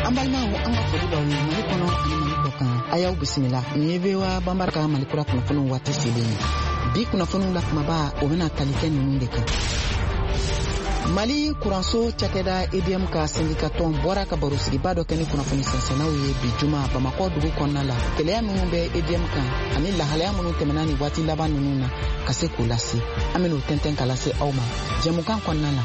An balimaw, an ka foli b'aw ye Mali kɔnɔ ani Mali kɔ kan. A y'aw bisimila. Nin ye VOA Banbara ka Mali kura kunnafoniw waati selen ye. Bi kunnafoniw la kumaba, o bɛna tali kɛ ninnu de kan. Mali kuranso cakɛda EDM ka sendika tɔn bɔra ka barosigiba dɔ kɛ ni kunnafoni sɛnsɛnnaw ye bi juma Bamakɔ dugu kɔnɔna la. Gɛlɛya minnu bɛ EDM kan ani lahalaya minnu tɛmɛna ni waati laban ninnu na, ka se k'o lase, an ben'o tɛntɛn ka lase aw ma jɛmukan kɔnɔna na.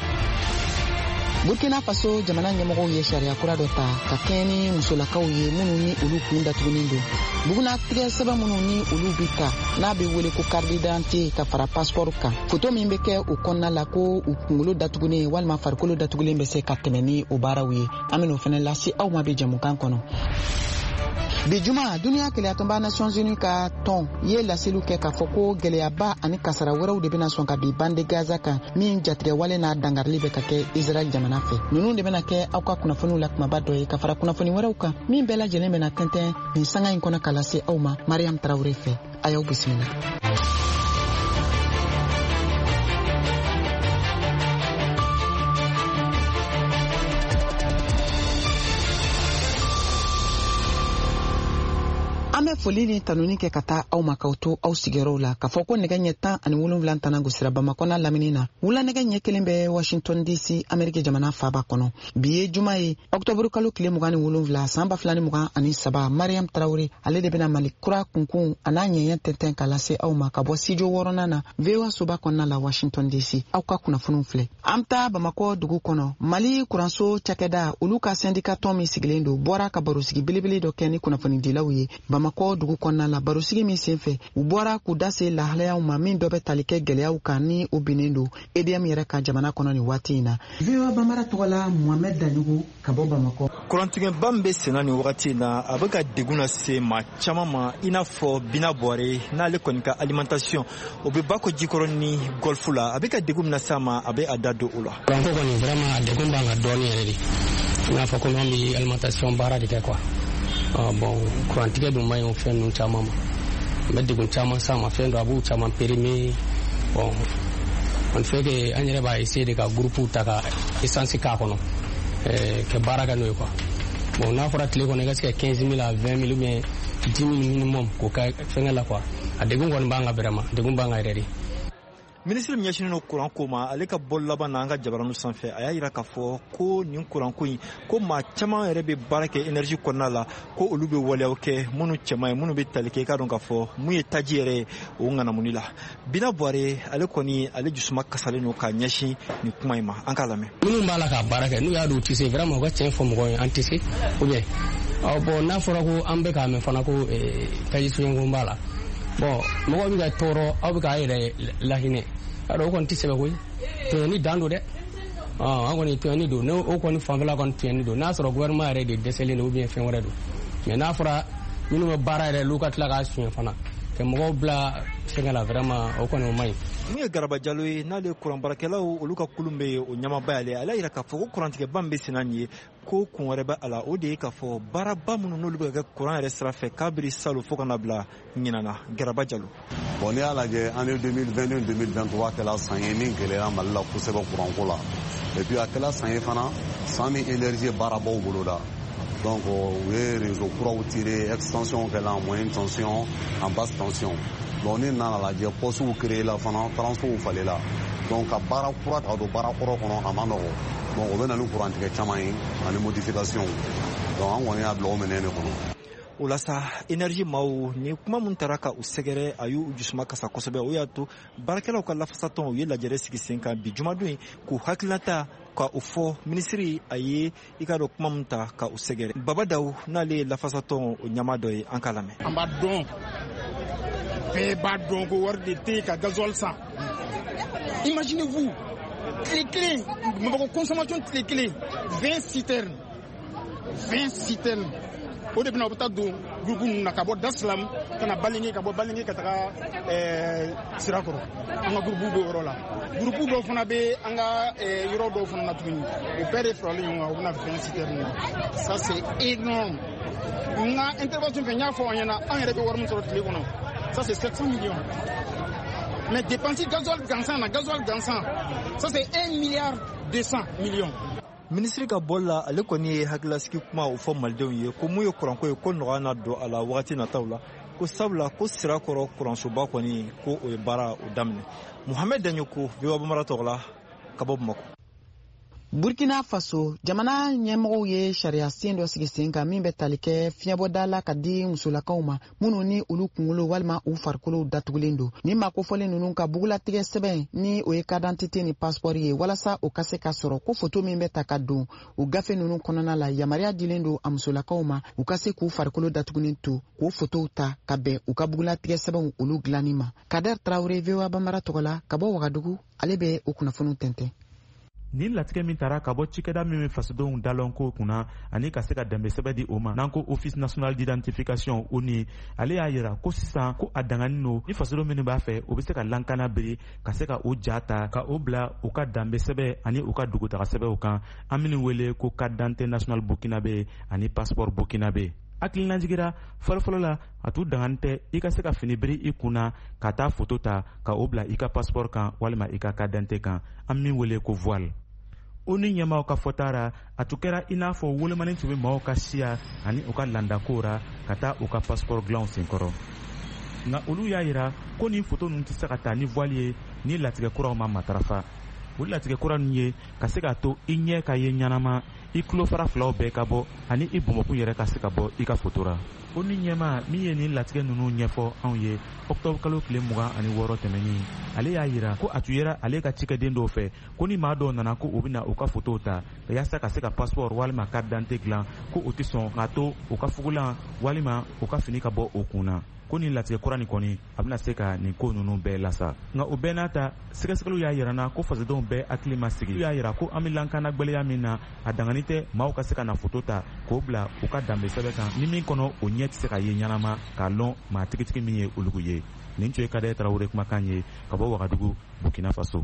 Burkina Faso jamana ɲɛmɔgɔw ye sariya kura dɔ ta ka kɛɲɛ ni musolakaw ye minnu ni olu kun datugunen don. Bugunatigɛ sɛbɛn minnu ni olu bi ta, n'a bɛ wele ko carte d'identité, ka fara passeport kan, foto min bɛ kɛ o kɔnɔna la ko u kunkolo datugunen walima farikolo datugulen bɛ se ka tɛmɛ ni o baaraw ye, an ben'o fɛnɛ lase aw ma bi jɛmukan kɔnɔ. Bi juma, duniya kelenyatɔnba Nations Unies ka tɔn ye laseliw kɛ k'a fɔ ko gwɛlɛyaba ani kasara wɛrɛw de bɛna sɔn ka bin bande Gaza kan, min jatigɛwale n'a dangarili bɛ ka kɛ Israɛl jamana fɛ. Ninnu de bɛna kɛ aw ka kunnafoniw la kumaba dɔ ye, ka fara kunnafoni wɛrɛw kan min bɛɛ lajɛlen bɛna tɛntɛn nin sanga in kɔnɔ ka lase aw ma Mariam Tarawure fɛ. A y'aw bisimila. An bɛ foli ni tanuni kɛ ka taa aw ma k'aw to aw sigiyɔrɔw la, k'a fɔ ko nɛgɛ ɲɛ 17 tana gosira Bamakɔ n'a lamini na, wula nɛgɛ ɲɛ 1 bɛ Washington DC, Ameriki jamana faaba kɔnɔ. Bi ye juma ye, ɔktɔburu kalo tile 27, san 2023. Mariam Tarawure, ale de bɛna Mali kura kunkun a n'a ɲɛɲɛ tɛntɛn ka lase aw ma ka bɔ studio wɔɔrɔnan na, VOA soba kɔnɔna la, Washington DC. Aw ka kunnafoniw filɛ. An bɛ taa Bamakɔ dugu kɔnɔ. Mali kuranso cakɛda, olu ka sɛndika tɔn min sigilen don, bɔra ka barosigi belebele dɔ kɛ ni kunnafonidilaw ye Bamakɔ dugu kɔnɔna la. Barosigi min senfɛ, u bɔra k'u da se lahalayaw ma min dɔ bɛ tali kɛ gwɛlɛyaw kan ni o binnen don EDM yɛrɛ ka jamana kɔnɔ nin waati in na. VOA Bambara tɔgɔ la, Mohamed Daɲogo ka bɔ Bamakɔ. Kurantigɛba min bɛ senna nin wagati in na, a bɛ ka degun lase maa caman ma, i n'a fɔ Bina Buware, n'ale kɔni ka alimentation o bɛ Bako Jikɔrɔni Golf la. A bɛ ka degun min lase a ma, a bɛ a da don o la. Kuranko kɔni, vraiment, a degun b'an kan dɔɔnin yɛrɛ de, i n'a fɔ komi an bɛ alimentation baara de kɛ quoi. Bon, kurantigɛ dun man ɲi o fɛn ninnu caman ma, n bɛ degun caman s'a ma, fɛn dɔ a b'u caman périmé. Bon, on fait que an yɛrɛ b'a essayer de ka groupe ta ka essence k'a kɔnɔ ka baara kɛ n'o ye quoi. Bon, n'a fɔra tile kɔnɔ i ka se ka 15 000 à 20 000 ou bien 10 000 minimum k'o kɛ fɛnkɛ la quoi, a degun kɔni b'an kan, vraiment, degun b'an kan yɛrɛ de. Minisiri min ɲɛsinnen don kuran ko ma, ale ka bɔ laban na an ka jabaraniw sanfɛ, a y'a yira k'a fɔ ko nin kuranko in, ko maa caman yɛrɛ bɛ baara kɛ énergie kɔnɔna la, ko olu bɛ waleyaw kɛ minnu cɛman ye, minnu bɛ tali kɛ, i k'a dɔn k'a fɔ mun ye taji yɛrɛ ye o ŋanamuni la. Bina Buware, ale kɔni, ale jusuma kasalen don k'a ɲɛsin nin kuma in ma. An k'a lamɛn. Minnu b'a la k'a baara kɛ, n'u y'a dɔn u tɛ se, vraiment, u ka tiɲɛ fɔ mɔgɔw ye, an tɛ se, ou bien bon, n'a fɔra ko an bɛ k'a mɛn fana ko taji soɲɛko b'a la, bon, mɔgɔw bɛ ka tɔɔrɔ, aw bɛ k'a yɛrɛ lahinɛ, yarɔ o kɔni tɛ sɛbɛ koyi. Tɔɲɔni dan don dɛ. An kɔni tɔɲɔni don, n'o kɔni fanfɛla kɔni tɔɲɔni don, n'a sɔrɔ gouvernement yɛrɛ de dɛsɛlen don ou bien fɛn wɛrɛ don. Mais n'a fɔra minnu bɛ baara yɛrɛ, olu ka tila k'a suɲɛ fana ka mɔgɔw bila fɛnkɛ la, vraiment, o kɔni o man ɲi. Mun ye Garaba Jalo ye, n'ale ye kuran baarakɛlaw olu ka kulun bɛ yen, o ɲɛmaaba y'ale, ale y'a yira k'a fɔ ko kurantigɛba min bɛ senna nin ye, ko kun wɛrɛ bɛ a la, o de ye k'a fɔ baaraba minnu n'olu bɛ ka kɛ kuran yɛrɛ sira fɛ kabiri salon fo ka na bila ɲinan na. Garaba Jalo. Bon, n'i y'a lajɛ, année 2022 2023 kɛla san ye min gɛlɛyara Mali la kosɛbɛ kuranko la. Et puis a kɛla san ye fana, san min énergie ye baarabaw boloda. Donc u ye réseau kuraw tiré, extension kɛla en moyenne tension, en basse tension. Donc ni nana lajɛ, postew créé la fana, transfow falela. Donc ka baara kura ta ka don baara kɔrɔ kɔnɔ, a ma nɔgɔ. Donc o bɛ na ni kurantigɛ caman ye ani modification. Donc an kɔni y'a bila o minɛn de kɔnɔ. O la sa, énergie maaw ni kuma min taara ka u sɛgɛrɛ, a y'u jusuma kasa kosɛbɛ. O y'a to baarakɛlaw ka lafasatɔn, u ye lajɛrɛ sigi sen kan bi jumadon ye k'u hakilinata ka o fɔ minisiri a ye, i k'a dɔn kuma min ta ka u sɛgɛrɛ. Baba Daw, n'ale ye lafasatɔn o ɲɛmaa dɔ ye, an k'a lamɛn. An b'a dɔn, bɛɛ b'a dɔn ko wari de tɛ yen ka gasoil san. Imaginez-vous, tile kelen Bamakɔ consommation, tile kelen, 20 citernes, 20 citernes, o de bɛna o bɛ taa don groupe ninnu na ka bɔ Daslam ka na Balinge, ka bɔ Balinge ka taga Sirakɔrɔ. An ka groupe b'o yɔrɔ la, groupe dɔw fana bɛ an ka yɔrɔ dɔw fana na tuguni. O bɛɛ de faralen ɲɔgɔn kan, o bɛna 20 citernes na. Ça, c'est énorme. N ka intervention fɛ, n y'a fɔ aw ɲɛna, an yɛrɛ bɛ wari min sɔrɔ tile kɔnɔ, ça c'est 700 millions. Mais dépenser gasoil gansan na, gasoil gansan, ça c'est 1 milliard 200 millions. Minisiri ka bɔli la, ale kɔni ye hakilasigi kuma o fɔ malidenw ye ko mun ye kuranko ye, ko nɔgɔya na don a la wagati nataw la, ko sabula ko Sirakɔrɔ kuransoba kɔni, ko o ye baara o daminɛ. Muhamɛd Daɲoko, VOA Bambara tɔgɔ la, ka bɔ Bamakɔ. Burkina Faso jamana ɲɛmɔgɔw ye sariya sen dɔ sigi sen kan min bɛ tali kɛ fiɲɛbɔda la ka di musolakaw ma minnu ni olu kunkolo walima u farikolow datugulen don. Ni maa kofɔlen ninnu ka bugulatigɛ sɛbɛn, ni o ye carte d'identité ni passeport ye, walasa o ka se ka sɔrɔ, ko foto min bɛ ta ka don o gafe ninnu kɔnɔna la, yamaruya dilen don a musolakaw ma u ka se k'u farikolo datugulen to k'o fotow ta ka bɛn u ka bugulatigɛ sɛbɛnw olu dilanni ma. Kader Tarawele, VOA Bambara tɔgɔ la, ka bɔ Wagadugu, ale bɛ o kunnafoniw tɛntɛn. Nin latigɛ min tara ka bɔ cikɛda min bɛ fasodenw dalɔnko kunna ani ka se ka danbe sɛbɛ di o ma, n'an ko Office national d'identification, ONI, ale y'a yira ko sisan ko a danganin don ni fasodenw minnu b'a fɛ, o bɛ se ka lankana biri ka se ka o ja ta ka o bila u ka danbe sɛbɛ ani u ka dugutaga sɛbɛw kan, an minnu wele ko carte d'identité nationale burkinabé ani passeport burkinabé. Hakilinajigira fɔlɔfɔlɔ la, a tun dangani tɛ i ka se ka fini biri i kun na ka taa foto ta ka o bila i ka passeport kan walima i ka carte d'identité kan, an min wele ko voile. ONI ɲɛmaw ka fɔta ra, a tun kɛra i n'a fɔ wolomani tun bɛ maaw ka siya ani u ka landakow ra ka taa u ka passeport dilanw senkɔrɔ. Nka olu y'a yira ko nin foto ninnu tɛ se ka ta ni voile ye ni latigɛ kuraw ma matarafa. O latigɛ kura ninnu ye ka se k'a to i ɲɛ ka ye ɲɛnama, i tulofara filaw bɛɛ ka bɔ, ani i bɔnbɔkun yɛrɛ ka se ka bɔ i ka foto ra. ONI ɲɛma min ye nin latigɛ ninnu ɲɛfɔ anw ye ɔktɔburu kalo tile 26 tɛmɛnin, ale y'a yira ko a tun yera ale ka cikɛden dɔw fɛ ko ni maa dɔw nana ko u bɛna u ka fotow ta yaasa ka se ka passeport walima carte d'identité dilan, ko u tɛ sɔn k'a to u ka fugulan walima u ka fini ka bɔ o kun na, ko nin latigɛ kura nin kɔni, a bɛna se ka nin ko ninnu bɛɛ lasa. Nka o bɛɛ n'a ta, sɛgɛsɛgɛliw y'a yira na ko fasodenw bɛɛ hakili ma sigi. Y'a yira ko an bɛ lankana gwɛlɛya min na, a dangani tɛ maaw ka se ka na foto ta k'o bila u ka danbe sɛbɛn kan ni min kɔnɔ o ɲɛ tɛ se ka ye ɲɛnama k'a lɔn maa tigitigi min ye olugu ye. Nin tun ye Kadɛ Tarawele kumakan ye ka bɔ Wagadugu, Burkina Faso.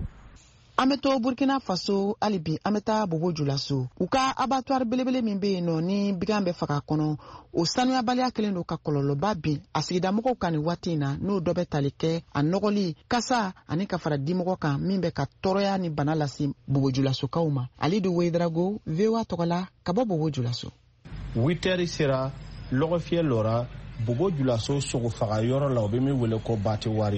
An bɛ to Burkina Faso hali bi. An bɛ taa Bobo Julaso. U ka abattoir belebele min bɛ yen nɔ ni bigan bɛ faga kɔnɔ, o sanuyabaliya kɛlen don ka kɔlɔlɔba bin a sigidamɔgɔw kan nin waati in na, n'o dɔ bɛ tali kɛ a nɔgɔli, kasa ani ka fara dimɔgɔ kan min bɛ ka tɔɔrɔya ni bana lase Bobo Julasokaw ma. Alidu Wedrago, VOA tɔgɔ la, ka bɔ Bobo Julaso. 8 heures sera, lɔgɔfiyɛ lɔra Bobo Julaso sogofaga yɔrɔ la, o bɛ min wele ko abattoir.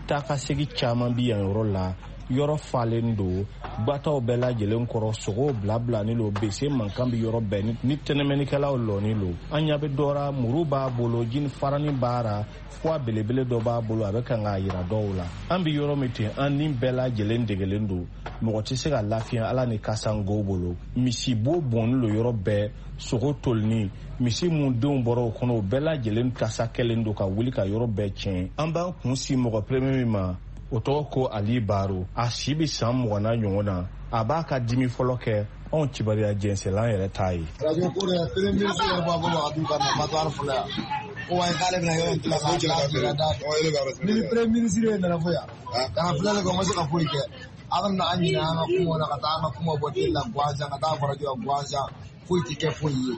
Taa ka segi caman bi yan yɔrɔ la. Yɔrɔ falen don gbataw bɛɛ lajɛlen kɔrɔ, sogow bilabilani lo, bese mankan bi yɔrɔ bɛɛ ni tɛnɛmɛnikɛlaw lɔni lo. An ɲa bɛ dɔ ra, muru b'a bolo, jini farani b'a ra, fuwa belebele dɔ b'a bolo, a bɛ kan k'a yira dɔw la. An bi yɔrɔ min ten, an ni bɛɛ lajɛlen degelen don, mɔgɔ tɛ se ka lafiya ala ni kasango bolo. Misibo bɔnni lo yɔrɔ bɛɛ, sogo tolini, misi mun denw bɔra o kɔnɔ, o bɛɛ lajɛlen kasa kɛlen don ka wuli ka yɔrɔ bɛɛ tiɲɛ. An b'an kun si mɔgɔ premier min ma, o tɔgɔ ko Ali Baro. A si bɛ san 20 na ɲɔgɔn na. A b'a ka dimi fɔlɔ kɛ anw kibaruya jɛnsɛlan yɛrɛ t'a ye. Radio ko de, premier ministre yɛrɛ b'a bolo ka d'u ka na abattoir fɔlɔ yan, ko wa k'ale bɛna yɔrɔ in tila k'a da ni premier ministre ye nana fɔ yan ka na filɛli kɛ, o ma se ka foyi kɛ. A bɛna an ɲinɛ an ka kumaw na, ka taa an ka kuma bɔ télé la gansan, ka taa radio la gansan, foyi tɛ kɛ foyi ye.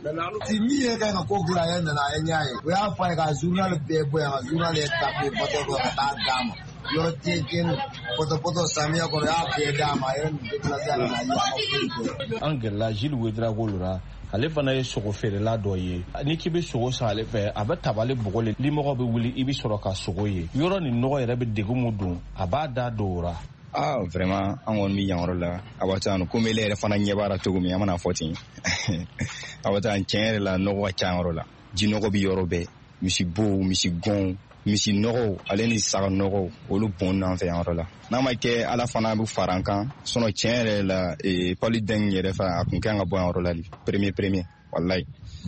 Ti min yɛrɛ ka ɲi ka ko dilan, a yɛrɛ nana, a ye ɲɛ ye, o y'a fɔ a ye ka journal bɛɛ bɔ yan, ka journal yɛrɛ tape pɔtɔ kɔnɔ ka taa d'a ma. Yɔrɔ tiɲɛ pɔtɔ pɔtɔ samiya kɔnɔ, y'a bɛɛ d'a ma, a yɛrɛ nin déplacé a nana ye, a ma foyi kɛ. An gɛrɛla Gilles Wedrago la, ale fana ye sogo feerela dɔ ye. N'i k'i bɛ sogo san ale fɛ, a bɛ tabali bɔgɔ le, limɔgɔ bɛ wuli, i bɛ sɔrɔ ka sogo ye. Yɔrɔ nin nɔgɔ yɛrɛ bɛ degun mun don, a b'a da don o ra. Ah, vraiment, an kɔni bɛ yan yɔrɔ la abattoir, komi ele yɛrɛ fana ɲɛ b'a la cogo min, an mana fɔ ten, abattoir tiɲɛ yɛrɛ la, nɔgɔ ka ca yɔrɔ la, jinɔgɔ bɛ yɔrɔ bɛɛ, misibow, misigɔnw, misi nɔgɔw ale ni saga nɔgɔw, olu bɔn an fɛ yan yɔrɔ la. N'a ma kɛ ala fana bɛ fara an kan sinon, tiɲɛ yɛrɛ la, paludin yɛrɛ fana a kun kan ka bɔ yan yɔrɔ la premier premier, wallahi,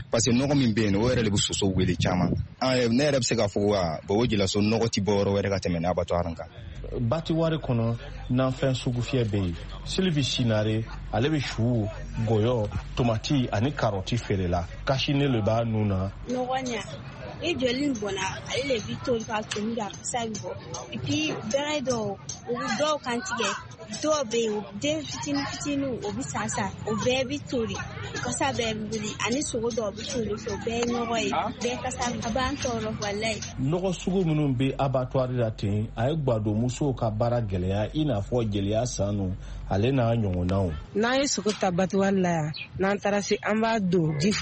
parce que nɔgɔ min bɛ yen, o yɛrɛ de bɛ soso wele caman. Ne yɛrɛ bɛ se k'a fɔ wa Bobo Julaso nɔgɔ ti bɔ yɔrɔ wɛrɛ ka tɛmɛ ni abattoir kan. Abattoir kɔnɔ, nanfɛn sugufiyɛ bɛ yen. Sylvie Sinare, ale bɛ su, gɔyɔ, tomati ani karɔti feere la. Kasinen le b'a nun na. Nɔgɔ ɲa. Ni joli nin bɔnna, ale le bi toli ka tomi a kasa bɛ bɔ. Et puis bɛrɛ dɔw, u bɛ dɔw kan tigɛ, dɔw bɛ yen, den fitinin fitinin, o bɛ sa sa, o bɛɛ bɛ toli, kasa bɛɛ bɛ wuli, ani sogo dɔw bɛ toli o bɛɛ ye nɔgɔ ye, bɛɛ kasa a b'an tɔɔrɔ walayi. Nɔgɔ sugu minnu bɛ abattoir la ten, a ye gwadonmusow ka baara gɛlɛya, i n'a fɔ Jeliya Sanu, ale n'a ɲɔgɔnnaw. N'an ye sogo ta abattoir la yan, n'an taara se, an b'a don ji fɔlɔ.